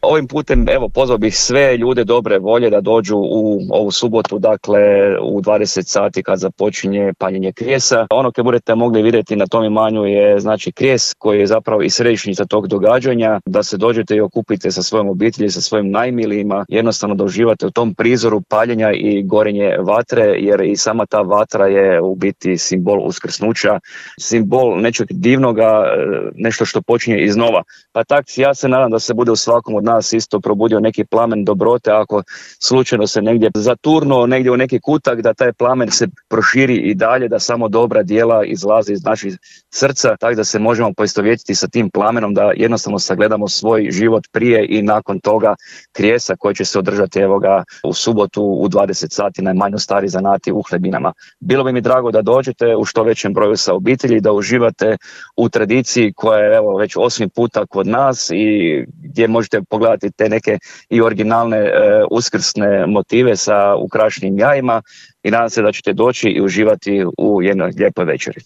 Ovim putem, evo, pozvao bih sve ljude dobre volje da dođu u ovu subotu, dakle u 20 sati kad započinje paljenje krijesa. Ono koje budete mogli vidjeti na tom imanju je znači krijes koji je zapravo i središnjica tog događanja, da se dođete i okupite sa svojom obitelji, sa svojim najmilijima, jednostavno da uživate u tom prizoru paljenja i gorenje vatre, jer i sama ta vatra je u biti simbol uskrsnuća, simbol nečeg divnoga, nešto što počinje iznova. Pa tak ja se nadam da se bude u svakom od nas isto probudio neki plamen dobrote, ako slučajno se negdje zaturnuo, negdje u neki kutak, da taj plamen se proširi i dalje, da samo dobra djela izlaze iz naših srca, tako da se možemo poistovjetiti sa tim plamenom, da jednostavno sagledamo svoj život prije i nakon toga krijesa koji će se održati evo ga u subotu u 20 sati na Imanju Stari Zanati u Hlebinama. Bilo bi mi drago da dođete u što većem broju sa obitelji, da uživate u tradiciji koja je evo već 8. puta kod nas i gdje možete pogledati te neke i originalne uskrsne motive sa ukrašenim jajima i nadam se da ćete doći i uživati u jednoj lijepoj večeri.